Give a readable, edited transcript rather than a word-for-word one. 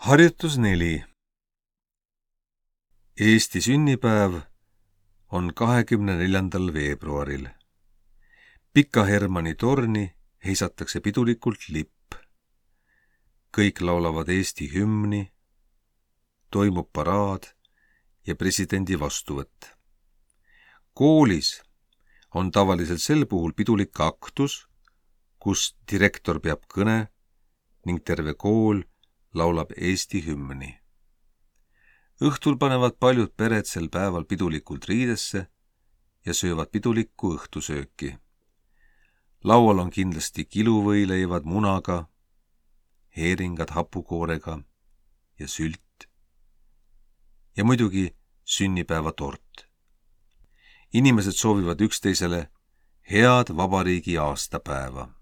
Harjutus 4. Eesti sünnipäev on 24. veebruaril. Pika Hermanni torni heisatakse pidulikult lipp. Kõik laulavad Eesti hümni, toimub paraad ja presidendi vastuvõtt. Koolis on tavaliselt sel puhul pidulik aktus, kus direktor peab kõne ning terve kool laulab Eesti hümni. Õhtul panevad paljud pered sel päeval pidulikult riidesse ja söövad pidulikku õhtusööki. Laual on kindlasti kiluvõileivad munaga, heeringad hapukoorega ja sült ja muidugi sünnipäevatort. Inimesed soovivad üksteisele head vabariigi aastapäeva.